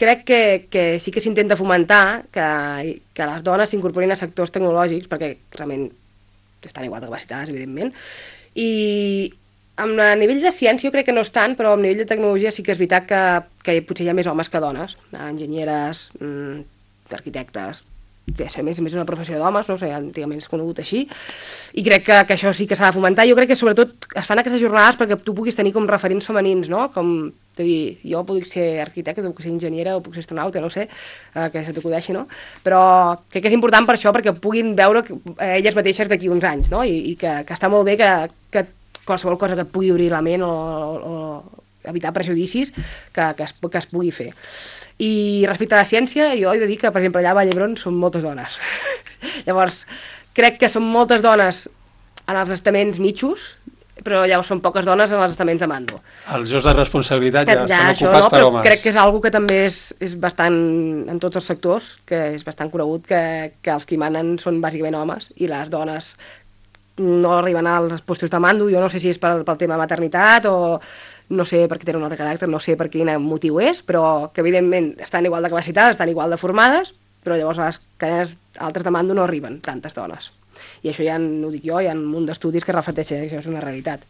crec que sí que s'intenta fomentar que les dones s'incorporin a sectors tecnològics, perquè realment estan igual de capacitades, evidentment, i a nivell de ciència jo crec que no és tant, però a nivell de tecnologia sí que és veritat que potser hi ha més homes que dones, enginyeres, arquitectes, a més és una professió d'homes, no sé, antigament és conegut així, i crec que això sí que s'ha de fomentar. Jo crec que sobretot es fan aquestes jornades perquè tu puguis tenir com referents femenins, no? Com de dir, jo puc ser arquitecte, puc ser enginyera o puc ser astronauta, no sé, que se t'acudeixi, no? Però crec que és important per això, perquè puguin veure elles mateixes d'aquí uns anys, no? I que està molt bé que qualsevol cosa que et pugui obrir la ment o evitar prejudicis que es pugui fer. I respecte a la ciència, jo he de dir que, per exemple, allà a Vall d'Hebron són moltes dones. Llavors, crec que són moltes dones en els estaments mitjos, però llavors són poques dones en els estaments de mando. Els llocs de responsabilitat ja estan això, ocupats per homes. Crec que és una que també és bastant, en tots els sectors, que és bastant conegut, que els que hi manen són bàsicament homes, i les dones no arriben als postos de mando. Jo no sé si és pel tema maternitat o no sé per què tenen un altre caràcter, no sé per quin motiu és, però que evidentment estan igual de capacitades, estan igual de formades, però llavors a les cadenes altres de mando no arriben tantes dones. I això ja no ho dic jo, hi ha un munt d'estudis que reflecteixen que això és una realitat.